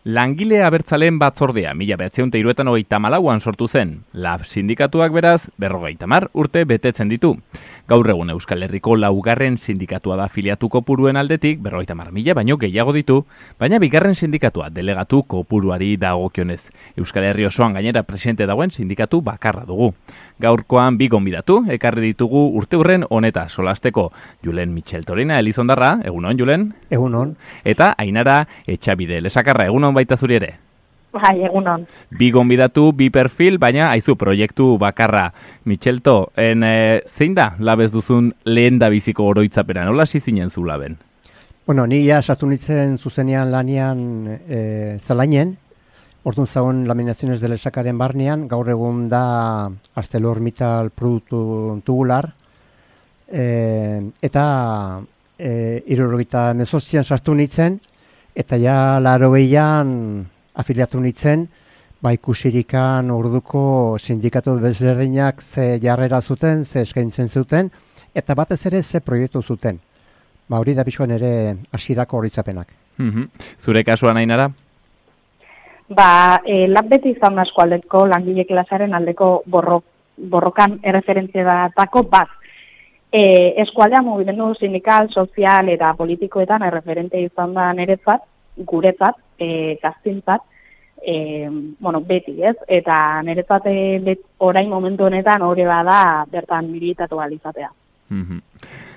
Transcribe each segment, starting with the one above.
Langile abertzaleen batzordea 1974an sortu zen. LAB sindikatuak beraz 50 urte betetzen ditu. Gaur egun Euskal Herriko laugarren sindikatua da afiliatu kopuruen aldetik 50.000 baino gehiago ditu, baina bigarren sindikatua delegatu kopuruari dagokionez. Euskal Herri osoan gainera presidente dagoen sindikatu bakarra dugu. Gaurkoan bi gonbidatu ekarri ditugu urteurren honeta solasteko. Julen Micheltorena Elizondarra, egunon Julen? Egunon. Eta Ainara Etxabide Lesakarra, egunon baita zuri ere? Bai, egunon. Bi gonbidatu, bi perfil, baina aizu proiektu bakarra. Michelto, zein da labez duzun lehen da biziko oroitzapena? Nola hasi zinen zu laben? Bueno, ni ja sartu nintzen zuzenean lanian zalainen, orduan zagoen Laminaciones de Lesakaren barnean, gaur egun da ArcelorMittal produktu tubular, eta 78an sartu nintzen, eta ja 80an afiliatu nintzen, ikusirikan orduko sindikatu desberdinak ze jarrera zuten, ze eskaintzen zuten, eta batez ere ze proiektu zuten. Hori da pixkoan ere hasierako horitzapenak. Zure kasuan Ainara? LAB beti izan da eskualdeko langile klasaren aldeko borrokan erreferentziatako bat. Eskualdea mugimendu sindikal, sozial eta politikoetan erreferente izan da niretzat, guretzat, gaztintzat, beti, ez? Eta niretzat orain momentu honetan hori bada bertan militatu alizatea.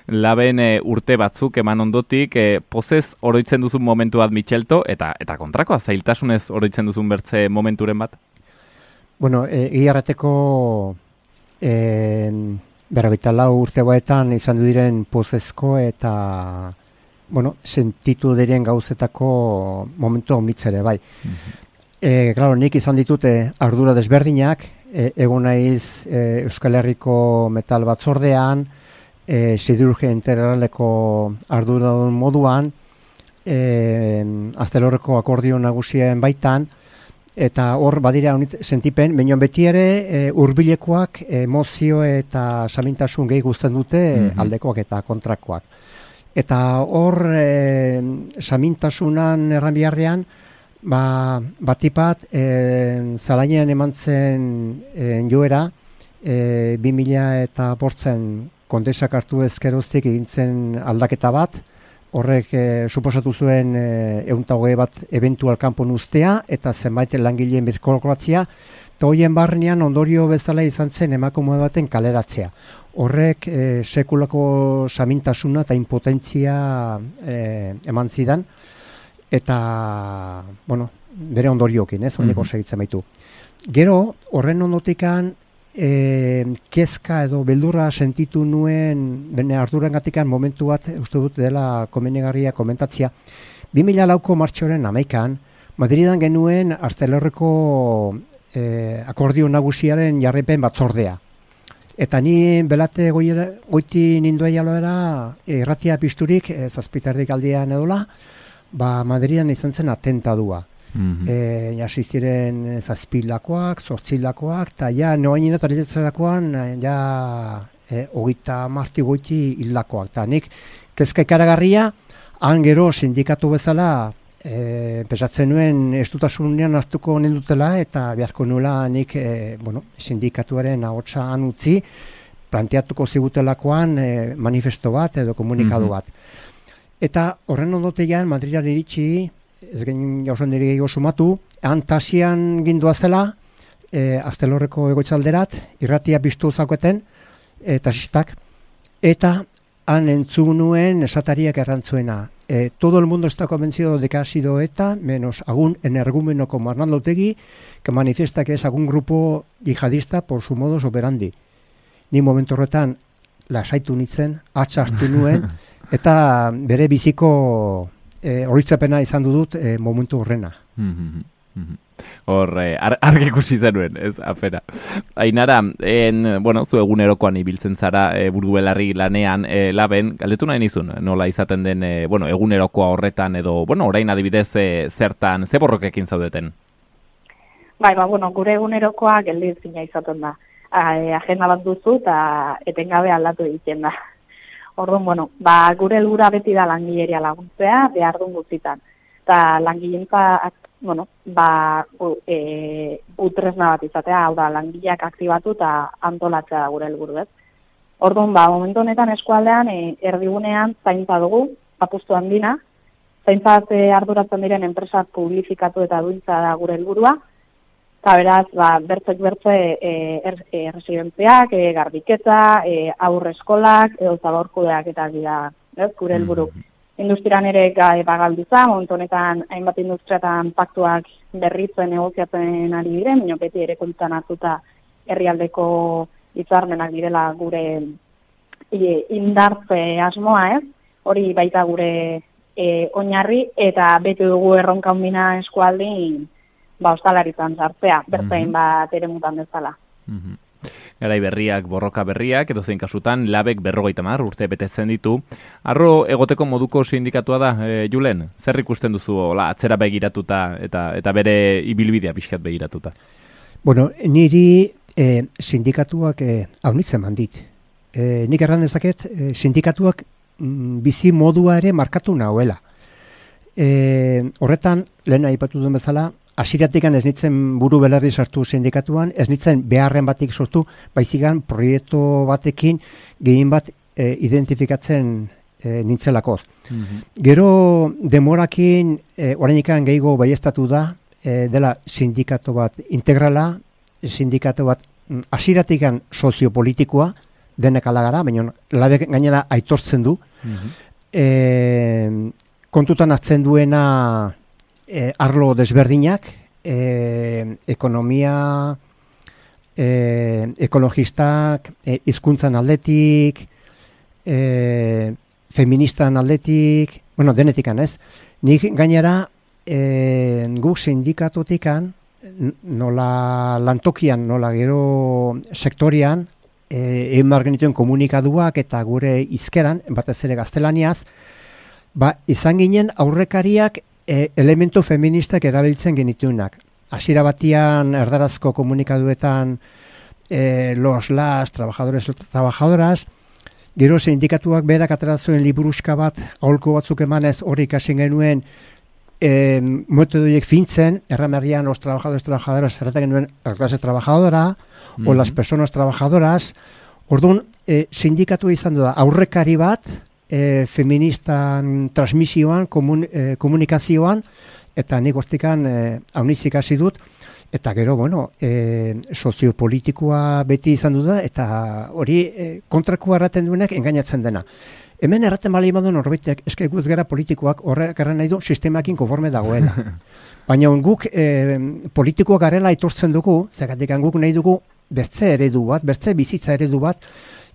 Laben urte batzuk eman ondotik, pozez oroitzen duzun momentu bat Michelto, eta kontrakoa, zailtasunez oroitzen duzun bertze momenturen bat? Bueno, egiarreteko 44 urte baetan izan du diren pozezko eta sentitu diren gauzetako momentu omitzere, bai. Claro, nik izan ditute ardura desberdinak, egun naiz Euskal Herriko metal batzordean, siderurgia integraleko arduradun moduan, Aztelorreko akordio nagusien baitan, eta hor badira sentipen, baina beti ere hurbilekoak emozio eta samintasun gehi guztien dute aldekoak eta kontrakoak. Eta hor samintasunan erran biharrean, batipat zalainen eman zen joera 2008 kondesak hartu ezkeroztik egintzen aldaketa bat, horrek suposatu zuen 120 bat eventual kanpon uztea eta zenbait langileen birkolkoratzea, eta horien barnean ondorio bezala izan zen emakume baten kaleratzea. Horrek sekulako samintasuna eta impotentzia eman zidan, eta, bere ondoriokin, honeko segitzen baitu. Gero, horren ondotikan, kezka edo beldurra sentitu nuen bene ardurengatikan momentu bat uste dut dela komenigarria komentatzia. 2004ko martxoaren 11an Madridan genuen Arcelorreko akordio nagusiaren jarraipen batzordea. Eta ni belate goiti nindua jaloera erratia pizturik zazpitardik aldean edola, Madridan izan zen atentadua. Ziren zazpilakoak, zortzilakoak, eta noain eta lehetzerakoan hogeita marti goiti hilakoak. Eta nik kezka ikaragarria, han gero sindikatu bezala pesatzen nuen estutasunean hartuko nindutela, eta beharko nuela nik sindikatuaren ahotsa han utzi, planteatuko zigutelakoan manifesto bat edo komunikadu bat. Eta horren ondotean Madridan iritsi, ez gen jauzen nire gehiago sumatu, antasian gindua zela, Aztelorreko egoitzalderat, irratia piztu zauketen, taxistak, eta han entzun nuen esatariak errantzuena. Todo el mundo está convencido de que ha sido ETA, menos algún energúmeno como Arnaldo Otegi, que manifiesta que es algún grupo yihadista por su modus operandi. Ni momentu horretan lasaitu nintzen, hartu nuen, eta bere biziko horitzapena izan dut momentu horrena. Hor, argi ikusi zenuen, ez, afera. Ainara, zu egunerokoan ibiltzen zara buru-belarri lanean laben, galdetu nahi nizun, nola izaten den egunerokoa horretan edo, orain adibidez zertan, ze borrokekin zaudeten? Gure egunerokoa geldizina izaten da. Agenda bat duzu eta etengabe aldatu egiten da. Orduan, gure helburua beti da langileria laguntzea behar duen guztitan. Eta langileentzat utresna bat izatea, hau da, langileak aktibatu eta antolatzea da gure helburu, ez? Orduan, momentu honetan eskualdean, erdigunean zaintza dugu, apustu handina, zaintzaz arduratzen diren enpresa publifikatu eta duintza da gure helburua, eta beraz, bertze erresidentziak, garbiketa, aurre eskolak, edo zaborkudeak eta dira, ez, gure helburu. Industrian ere bagaldutza, momentu honetan hainbat industriatan paktuak berritzen negoziatzen ari diren, baina beti ere kontutan hartuta herrialdeko hitzarmenak direla gure indartze asmoa, ez? Hori baita gure oinarri, eta beti dugu erronka handina eskualdin ostalaritzan sartzea, bertzein bat ere mutan bezala. Garai berriak, borroka berriak, edo zein kasutan, labek 50 urte betetzen ditu. Arro egoteko moduko sindikatua da, Julen? Zer ikusten duzu, atzera begiratuta eta bere ibilbidea pixkat begiratuta? Bueno, niri sindikatuak haunitzen mandit. Nik erran dezaket, sindikatuak bizi modua ere markatu nahuela. Horretan, lehen aipatu duen bezala, hasiratik ez nitzen buru belarri sartu sindikatuan, ez nitzen beharren batik sortu, baizigan proiektu batekin gehien bat identifikatzen nintzelakoz. Gero demorakin orainikan gehiago baiestatu da, dela sindikatu bat integrala, sindikatu bat hasiratikan soziopolitikoa, denek alagara, baina labek gainera aitortzen du. Kontutan hartzen duena arlo desberdinak, ekonomia, ekologistak, hizkuntzan aldetik, feministan aldetik, denetikan ez. Nik gainera guk sindikatotikan, nola lantokian, nola gero sektorian, egin behar genituen komunikaduak eta gure hizkeran, batez ere gaztelaniaz, izan ginen aurrekariak elementu feministak erabiltzen genituenak. Hasiera batian erdarazko komunikaduetan las trabajadores, trabajadoras, gero sindikatuak berak atera zuen liburuska bat, aholko batzuk emanez hori ikasi genuen metodoiek fintzen, erramerrian los trabajadores, trabajadoras, erraten genuen la clase trabajadora, o las personas trabajadoras. Orduan, sindikatu izan da aurrekari bat, feministan transmisioan, komunikazioan, eta nik hortikan haunizik hasi dut, eta gero, soziopolitikoa beti izan du da, eta hori kontrakoa erraten duenak engainatzen dena. Hemen erraten bali baduen norbaitek, eske guz gara politikoak horrek erran nahi du sistemakin konforme dagoela. Baina guk politikoak garela aitortzen dugu, zagatik guk nahi dugu bertze eredu bat, bertze bizitza eredu bat,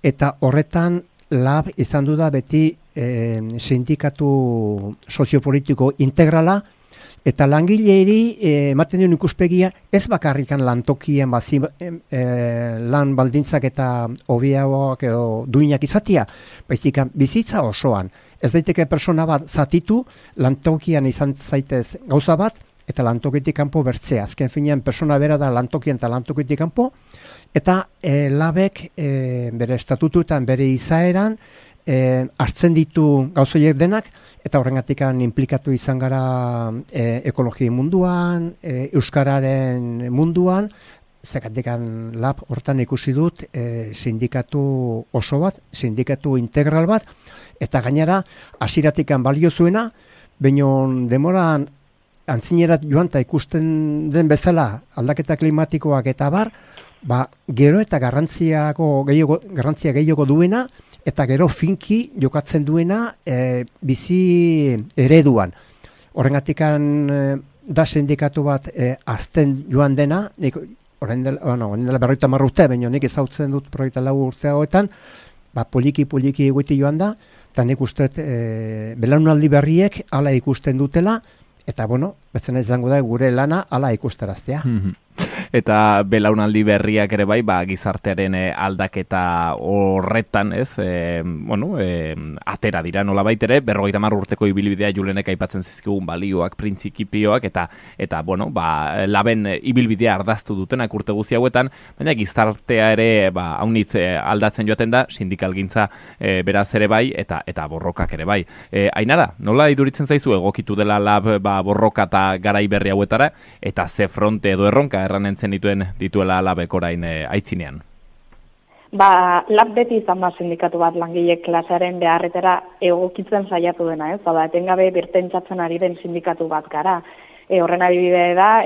eta horretan lab izan du da beti sindikatu soziopolitiko integrala, eta langileeri ematen duen ikuspegia ez bakarrikan lantokien lan baldintzak eta hobiagoak edo duinak izatia, baizik bizitza osoan. Ez daiteke persona bat zatitu, lantokian izan zaitez gauza bat, eta lantokitik kanpo bertzea. Azken finean persona bera da lantokian eta lantokitik kanpo, eta labek bere estatutuetan, bere izaeran, hartzen ditu gauzoiek denak, eta horrengatikan implikatu izan gara ekologia munduan, euskararen munduan, zekatikan lab hortan ikusi dut sindikatu oso bat, sindikatu integral bat, eta gainera hasiratikan balio zuena, baina demoran antzinerat joan eta ikusten den bezala aldaketa klimatikoak eta bar, gero eta garrantzia gehiago duena, eta gero finki jokatzen duena bizi ereduan. Horrengatikan da sindikatu bat azten joan dena, nik orain dela 50 urte, baina nik ezautzen dut 24 urte hauetan, poliki egoiti joan da, eta nik usteet belaunaldi berriek hala ikusten dutela, eta betzen izango da gure lana hala ikusteraztea. eta belaunaldi berriak ere bai, gizartearen aldaketa horretan, ez, atera dira nolabait ere, 50 urteko ibilbidea Julenek aipatzen zizkigun balioak, printzipioak, eta laben ibilbidea ardaztu dutenak urte guzti hauetan, baina gizartea ere haunitz aldatzen joaten da, sindikalgintza beraz ere bai, eta borrokak ere bai. Ainara, nola iduritzen zaizu egokitu dela lab borroka eta garai berri hauetara, eta ze fronte edo erronka erranentzen dituela labek orain aitzinean? Lab beti izan sindikatu bat langile klasearen beharretara egokitzen saiatu dena, ez? Etengabe birpentsatzen ari den sindikatu bat gara. Horren adibide da,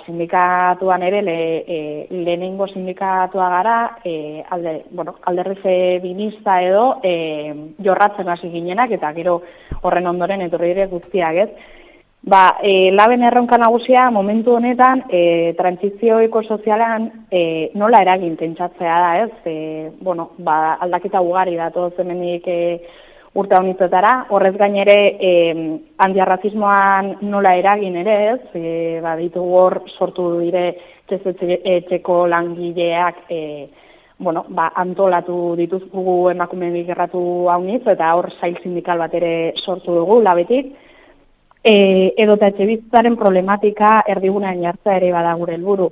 sindikatuan ere lehenengo sindikatua gara, alderdi feminista edo jorratzen hasi ginenak, eta gero horren ondoren etorri dire guztiak, ez? Laben erronka nagusia momentu honetan trantsizio ekosozialan nola eragin pentsatzea da, ez? Aldaketa ugari datoz hemenik urte honitzetara, horrez gainere antiarrazismoan nola eragin ere, ez? Ditugu hor sortu dire etxeko langileak antolatu dituzkugu emakume gerratu haunitz, eta hor sail sindikal bat ere sortu dugu labetik. Edo eta etxebizitzaren problematika erdigunean jartzea ere bada gure helburu.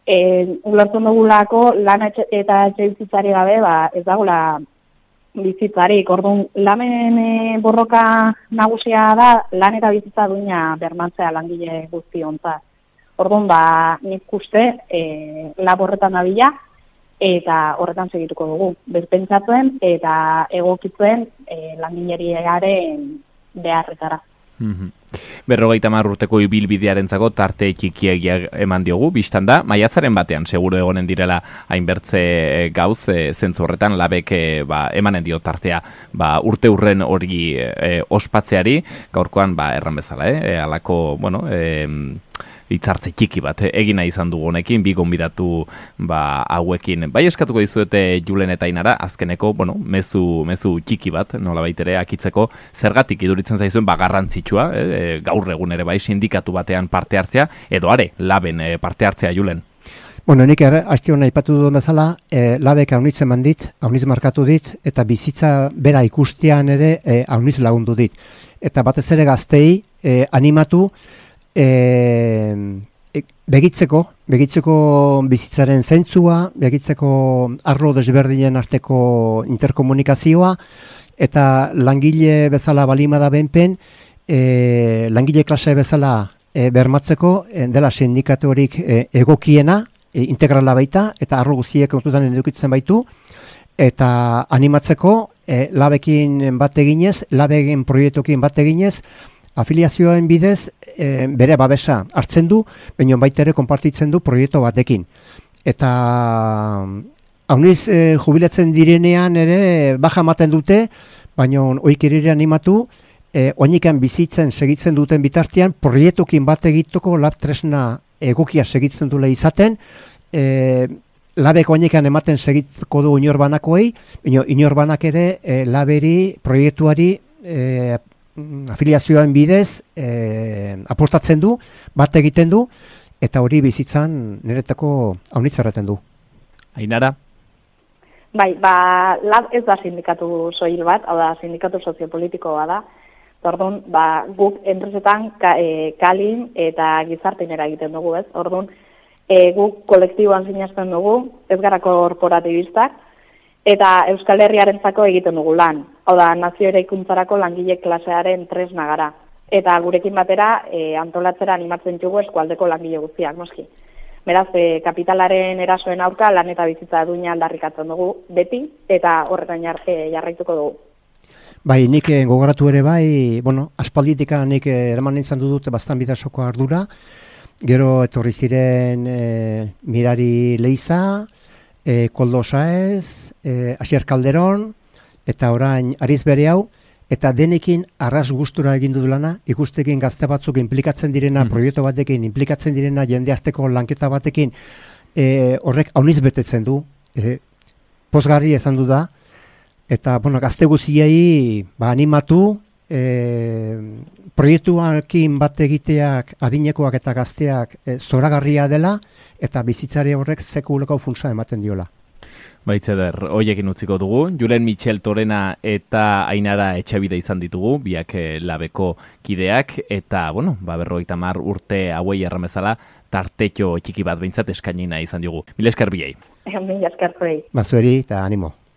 Ulertzen dugulako lan eta etxebizitzari gabe ez dagoela bizitzarik. Orduan, lamen borroka nagusia da lan eta bizitza duina bermatzea langile guztiontzat. Orduan, nik uste lab horretan dabila eta horretan segituko dugu. Bezpentsatzen eta egokitzen langileriaren beharretara. 50 urteko ibilbidearentzako tarte txikiak eman diogu, bistan da, maiatzaren batean seguru egonen direla hainbertze gauz, zentzu horretan labek emanen dio tartea urte urren hori ospatzeari, gaurkoan erran bezala, alako, hitzartze txiki bat egina izan dugu honekin, bi gonbidatu hauekin. Bai eskatuko dizuete Julen eta Ainara, azkeneko, mezu txiki bat, nolabait ere akitzeko, zergatik iduritzen zaizuen garrantzitsua, gaur egun ere bai sindikatu batean parte hartzea, edo are, laben parte hartzea, Julen. Nik haste hona aipatu duen bezala, labek haunitz eman dit, haunitz markatu dit, eta bizitza bera ikustean ere haunitz lagundu dit. Eta batez ere gaztei animatu, begitzeko bizitzaren zentzua, begitzeko arlo desberdinen arteko interkomunikazioa, eta langile bezala balima da benpen, langile klase bezala bermatzeko dela sindikaturik egokiena, integrala baita, eta arlo guztiek kontutan edukitzen baitu, eta animatzeko labekin bat eginez, labegen proiektuekin bat eginez, afiliazioen bidez bere babesa hartzen du, baina baita ere konpartitzen du proiektu batekin. Eta hauniz jubilatzen direnean ere baja ematen dute, baina oikirire animatu, oinikan bizitzen segitzen duten bitartean, proiektuekin bat egiteko lab tresna egokia segitzen dula izaten, labek oinikan ematen segitko du inorbanakoei, baina inorbanak ere laberi, proiektuari, afiliazioan bidez aportatzen du, bat egiten du, eta hori bizitzan niretako haunitzarreten du. Ainara? Lab ez da sindikatu soil bat, hau da sindikatu soziopolitikoa da. Orduan, guk enpresetan kalin eta gizarteinera egiten dugu, ez? Orduan, guk kolektiboan sinesten dugu, ez gara korporatibistak, eta Euskal Herriarentzako egiten dugu lan. Hau da, nazio eraikuntzarako langile klasearen tresna gara. Eta gurekin batera antolatzera animatzen dugu eskualdeko langile guztiak, noski. Beraz, kapitalaren erasoen aurka lan eta bizitza duina aldarrikatzen dugu beti, eta horretan jarraituko dugu. Nik gogoratu ere aspalditika nik eraman nintzen dut bastan bidasoko ardura, gero etorri ziren Mirari Leiza, Koldo Saez, Asier Calderón, eta orain Ariz bere hau, eta denekin arras gustura egin dut lana, ikustekin gazte batzuk implikatzen direna, proiektu batekin implikatzen direna, jende arteko lanketa batekin, horrek hauniz betetzen du, pozgarri ezan du da, eta gazte guziei animatu, proiektuarekin bat egiteak adinekoak eta gazteak zoragarria dela eta bizitzari horrek sekulako funtsa ematen diola. Baitzeder, hoiekin utziko dugu. Julen Michel Torena eta Ainara Etxebide izan ditugu, biak labeko kideak, eta, bueno, 50 urte hauei erramezala, tartetxo txiki bat behintzat eskainina izan dugu. Mila esker biei. Mila esker zuei. Bazueri eta animo.